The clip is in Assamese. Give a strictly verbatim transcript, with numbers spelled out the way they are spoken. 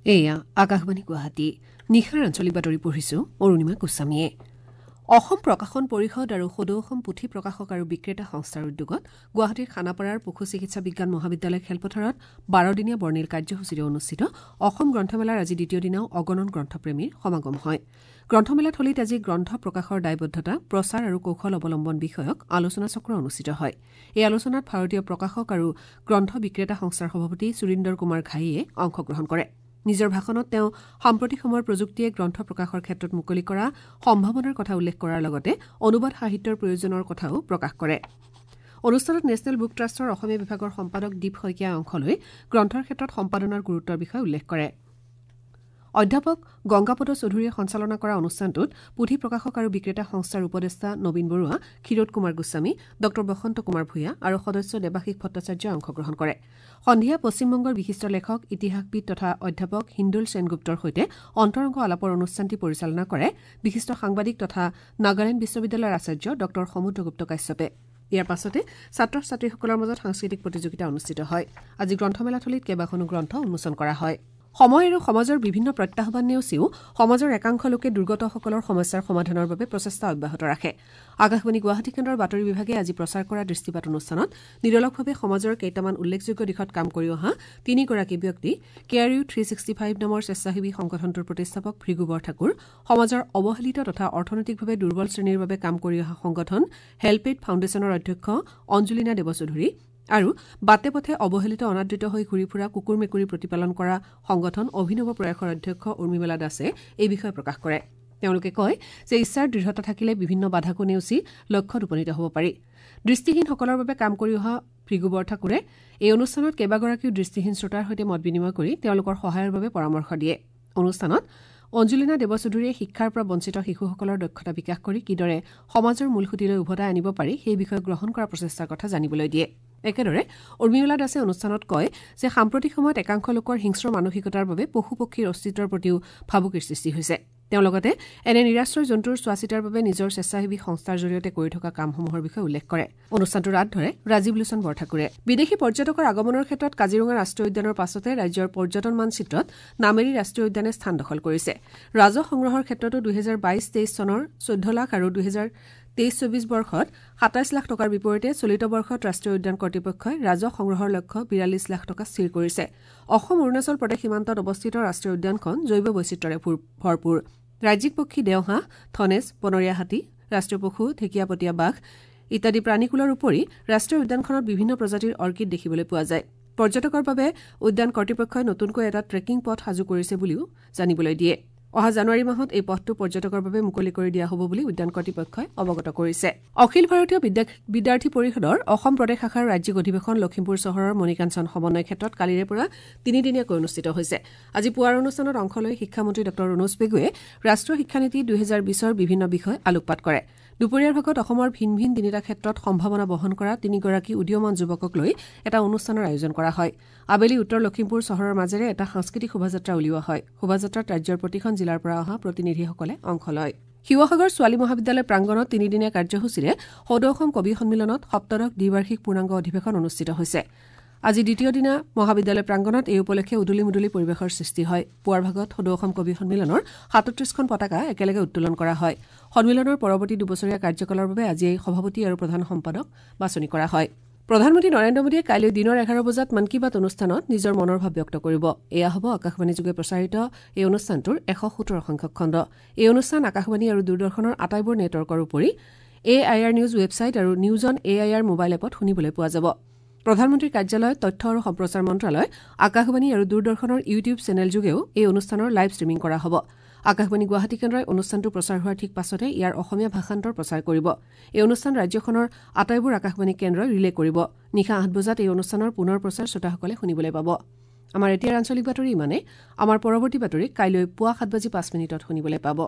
এয়া আকাশবাণী গুৱাহাটী। নিশাৰ আঞ্চলিক বাতৰি পঢ়িছো অৰুণিমা গোস্বামীয়ে। অসম প্ৰকাশন পৰিষদ আৰু সদৌ অসম পুথি প্ৰকাশক আৰু বিক্ৰেতা সংস্থাৰ উদ্যোগত গুৱাহাটীৰ খানাপাৰাৰ পশু চিকিৎসা বিজ্ঞান মহাবিদ্যালয় খেলপথাৰত বাৰদিনীয়া বৰ্ণিল কাৰ্যসূচীৰে অনুষ্ঠিত অসম গ্ৰন্থমেলাৰ আজি দ্বিতীয় দিনাও অগণন গ্ৰন্থপ্ৰেমীৰ সমাগম হয়। গ্ৰন্থমেলাথলীত আজি গ্ৰন্থ প্ৰকাশৰ দায়বদ্ধতা, প্ৰচাৰ আৰু কৌশল অৱলম্বন বিষয়ক আলোচনাচক্ৰ অনুষ্ঠিত হয়। এই আলোচনাত ভাৰতীয় প্ৰকাশক আৰু গ্ৰন্থ বিক্ৰেতা সংস্থাৰ সভাপতি সুৰিন্দৰ কুমাৰ ঘাইয়ে অংশগ্ৰহণ কৰে। নিজৰ ভাষণত তেওঁ সাম্প্ৰতিক সময়ৰ প্ৰযুক্তিয়ে গ্ৰন্থ প্ৰকাশৰ ক্ষেত্ৰত মুকলি কৰা সম্ভাৱনাৰ কথা উল্লেখ কৰাৰ লগতে অনুবাদ সাহিত্যৰ প্ৰয়োজনৰ কথাও প্ৰকাশ কৰে। অনুষ্ঠানত নেশ্যনেল বুক ট্ৰাষ্টৰ অসমীয়া বিভাগৰ সম্পাদক দীপ শইকীয়াই অংশ লৈ গ্ৰন্থৰ ক্ষেত্ৰত সম্পাদনাৰ গুৰুত্বৰ বিষয়ে উল্লেখ কৰে। অধ্যাপক গংগাপদ চৌধুৰীয়ে সঞ্চালনা কৰা অনুষ্ঠানটোত পুথি প্ৰকাশক আৰু বিক্ৰেতা সংস্থাৰ উপদেষ্টা নবীন বৰুৱা, ক্ষীৰোদ কুমাৰ গোস্বামী, ডঃ বসন্ত কুমাৰ ভূঞা আৰু সদস্য দেৱাশীষ ভট্টাচাৰ্যই অংশগ্ৰহণ কৰে। সন্ধিয়া পশ্চিমবংগৰ বিশিষ্ট লেখক, ইতিহাসবিদ তথা অধ্যাপক হিন্দুল সেনগুপ্তৰ সৈতে অন্তৰংগ আলাপৰ অনুষ্ঠানটি পৰিচালনা কৰে বিশিষ্ট সাংবাদিক তথা নাগালেণ্ড বিশ্ববিদ্যালয়ৰ আচাৰ্য ডঃ সমুদ্ৰগুপ্ত কাশ্যপে। ইয়াৰ পাছতে ছাত্ৰ ছাত্ৰীসকলৰ মাজত সাংস্কৃতিক প্ৰতিযোগিতা অনুষ্ঠিত হয়। আজি গ্ৰন্থমেলাথলীত কেইবাখনো গ্ৰন্থ উন্মোচন কৰা হয়। সময় আৰু সমাজৰ বিভিন্ন প্ৰত্যাহ্বান নেওচিও সমাজৰ একাংশ লোকে দুৰ্গতসকলৰ সমস্যাৰ সমাধানৰ বাবে প্ৰচেষ্টা অব্যাহত ৰাখে। আকাশবাণী গুৱাহাটী কেন্দ্ৰৰ বাতৰি বিভাগে আজি প্ৰচাৰ কৰা দৃষ্টিপাত অনুষ্ঠানত নিৰলসভাৱে সমাজৰ কেইটামান উল্লেখযোগ্য দিশত কাম কৰি অহা তিনিগৰাকী ব্যক্তি care you three sixty five নামৰ স্বেচ্ছাসেৱী সংগঠনটোৰ প্ৰতিষ্ঠাপক ভৃগু বৰঠাকুৰ, সমাজৰ অৱহেলিত তথা অৰ্থনৈতিকভাৱে দুৰ্বল শ্ৰেণীৰ বাবে কাম কৰি অহা সংগঠন হেল্প এইড ফাউণ্ডেশ্যনৰ অধ্যক্ষ অঞ্জুলিনা দেৱচৌধুৰী আৰু বাটে পথে অৱহেলিত অনাদৃত হৈ ঘূৰি ফুৰা কুকুৰ মেকুৰী প্ৰতিপালন কৰা সংগঠন অভিনৱ প্ৰয়াসৰ অধ্যক্ষ উৰ্মিমালা দাসে এই বিষয়ে প্ৰকাশ কৰে। তেওঁলোকে কয় যে ইচ্ছাৰ দৃঢ়তা থাকিলে বিভিন্ন বাধাকো নেওচি লক্ষ্যত উপনীত হ'ব পাৰি। দৃষ্টিহীনসকলৰ বাবে কাম কৰি অহা ভৃগু বৰঠাকুৰে এই অনুষ্ঠানত কেইবাগৰাকীও দৃষ্টিহীন শ্ৰোতাৰ সৈতে মত বিনিময় কৰি তেওঁলোকৰ সহায়ৰ বাবে পৰামৰ্শ দিয়ে। অনুষ্ঠানত অঞ্জুলিনা দেৱচৌধুৰীয়ে শিক্ষাৰ পৰা বঞ্চিত শিশুসকলৰ দক্ষতা বিকাশ কৰি কিদৰে সমাজৰ মূলসুঁতিলৈ উভতাই আনিব পাৰি সেই বিষয়ে গ্ৰহণ কৰা প্ৰচেষ্টাৰ কথা জানিবলৈ দিয়ে। একেদৰে উৰ্মিমালা দাসে অনুষ্ঠানত কয় যে সাম্প্ৰতিক সময়ত একাংশ লোকৰ হিংস্ৰ মানসিকতাৰ বাবে পশু পক্ষীৰ অস্তিত্বৰ প্ৰতিও ভাবুকিৰ সৃষ্টি হৈছে। তেওঁ লগতে এনে নিৰাশ্ৰয় জন্তুৰ চোৱাচিতাৰ বাবে নিজৰ স্বেচ্ছাসেৱী সংস্থাৰ জৰিয়তে কৰি থকা কামসমূহৰ বিষয়ে উল্লেখ কৰে। অনুষ্ঠানটোৰ আঁত ধৰে ৰাজীৱ লোচন বৰঠাকুৰে। বিদেশী পৰ্যটকৰ আগমনৰ ক্ষেত্ৰত কাজিৰঙা ৰাষ্ট্ৰীয় উদ্যানৰ পাছতে ৰাজ্যৰ পৰ্যটন মানচিত্ৰত নামেৰী ৰাষ্ট্ৰীয় উদ্যানে স্থান দখল কৰিছে। ৰাজহ সংগ্ৰহৰ ক্ষেত্ৰতো দুহেজাৰ বাইশ তেইছ চনৰ চৈধ্য লাখ আৰু দুহেজাৰ তেইছ চৌবিশ বৰ্ষত সাতাইছ লাখ টকাৰ বিপৰীতে চলিত বৰ্ষত ৰাষ্ট্ৰীয় উদ্যান কৰ্তৃপক্ষই ৰাজহ সংগ্ৰহৰ লক্ষ্য বিৰাল্লিছ লাখ টকা স্থিৰ কৰিছে। অসম অৰুণাচল প্ৰদেশ সীমান্তত অৱস্থিত ৰাষ্ট্ৰীয় উদ্যানখন জৈৱ বৈচিত্ৰ্যৰে ভৰপূৰ। ৰাজ্যিক পক্ষী দেওহাঁহ, ধনেশ, বনৰীয়া হাতী, ৰাষ্ট্ৰীয় পশু ঢেকীয়াপতীয়া বাঘ ইত্যাদি প্ৰাণীকুলৰ উপৰি ৰাষ্ট্ৰীয় উদ্যানখনত বিভিন্ন প্ৰজাতিৰ অৰ্কিড দেখিবলৈ পোৱা যায়। পৰ্যটকৰ বাবে উদ্যান কৰ্তৃপক্ষই নতুনকৈ এটা ট্ৰেকিং পথ সাজু কৰিছে বুলিও জানিবলৈ দিয়ে। অহা জানুৱাৰী মাহত এই পথটো পৰ্যটকৰ বাবে মুকলি কৰি দিয়া হ'ব বুলি উদ্যান কৰ্তৃপক্ষই অৱগত কৰিছে। অখিল ভাৰতীয় বিদ্যাৰ্থী পৰিষদৰ অসম প্ৰদেশ শাখাৰ ৰাজ্যিক অধিৱেশন লখিমপুৰ চহৰৰ মণিকাঞ্চন সমন্বয় ক্ষেত্ৰত কালিৰে পৰা তিনিদিনীয়াকৈ অনুষ্ঠিত হৈছে। আজি পুৱাৰ অনুষ্ঠানত অংশ লৈ শিক্ষামন্ত্ৰী ডঃ ৰণোজ পেগুৱে ৰাষ্ট্ৰীয় শিক্ষানীতি দুহেজাৰ বিছৰ বিভিন্ন বিষয় আলোকপাত কৰে। দুপৰীয়াৰ ভাগত অসমৰ ভিন ভিন তিনিটা ক্ষেত্ৰত সম্ভাৱনা বহন কৰা তিনিগৰাকী উদীয়মান যুৱকক লৈ এটা অনুষ্ঠানৰ আয়োজন কৰা হয়। আবেলি উত্তৰ লখিমপুৰ চহৰৰ মাজেৰে এটা সাংস্কৃতিক শোভাযাত্ৰা উলিওৱা হয়। শোভাযাত্ৰাত ৰাজ্যৰ প্ৰতিখন জিলাৰ পৰা অহা প্ৰতিনিধিসকলে অংশ লয়। শিৱসাগৰ ছোৱালী মহাবিদ্যালয় প্ৰাংগণত তিনিদিনীয়া কাৰ্যসূচীৰে সদৌ অসম কবি সন্মিলনত সপ্তদশ দ্বিবাৰ্ষিক পূৰ্ণাংগ অধিৱেশন অনুষ্ঠিত হৈছে। আজি দ্বিতীয় দিনা মহাবিদ্যালয় প্ৰাংগণত এই উপলক্ষে উদুলি মুদুলি পৰিৱেশৰ সৃষ্টি হয়। পুৱাৰ ভাগত সদৌ অসম কবি সন্মিলনৰ সাতত্ৰিশখন পতাকা একেলগে উত্তোলন কৰা হয়। সন্মিলনৰ পৰৱৰ্তী দুবছৰীয়া কাৰ্যকালৰ বাবে আজি এই সভাপতি আৰু প্ৰধান সম্পাদক বাছনি কৰা হয়। প্ৰধানমন্ত্ৰী নৰেন্দ্ৰ মোদীয়ে কাইলৈ দিনৰ এঘাৰ বজাত মন কী বাত অনুষ্ঠানত নিজৰ মনৰ ভাৱ ব্যক্ত কৰিব। এয়া হ'ব আকাশবাণীযোগে প্ৰচাৰিত এই অনুষ্ঠানটোৰ এশ সোতৰ সংখ্যক খণ্ড। এই অনুষ্ঠান আকাশবাণী আৰু দূৰদৰ্শনৰ আটাইবোৰ নেটৱৰ্কৰ উপৰি A I R news website আৰু news on A I R mobile এপত শুনিবলৈ পোৱা যাব। প্ৰধানমন্ত্ৰীৰ কাৰ্যালয়, তথ্য আৰু সম্প্ৰচাৰ মন্ত্ৰালয়, আকাশবাণী আৰু দূৰদৰ্শনৰ ইউটিউব চেনেলযোগেও এই অনুষ্ঠানৰ লাইভ ষ্ট্ৰীমিং কৰা হ'ব। আকাশবাণী গুৱাহাটী কেন্দ্ৰই অনুষ্ঠানটো প্ৰচাৰ হোৱাৰ ঠিক পাছতে ইয়াৰ অসমীয়া ভাষান্তৰ প্ৰচাৰ কৰিব। এই অনুষ্ঠান ৰাজ্যখনৰ আটাইবোৰ আকাশবাণী কেন্দ্ৰই ৰিলে কৰিব। নিশা আঠ বজাত এই অনুষ্ঠানৰ পুনৰ প্ৰচাৰ শ্ৰোতাসকলে শুনিবলৈ পাব। আমাৰ এতিয়াৰ আঞ্চলিক বাতৰি ইমানেই। আমাৰ পৰৱৰ্তী বাতৰি কাইলৈ পুৱা সাত বাজি পাঁচ মিনিটত শুনিবলৈ পাব।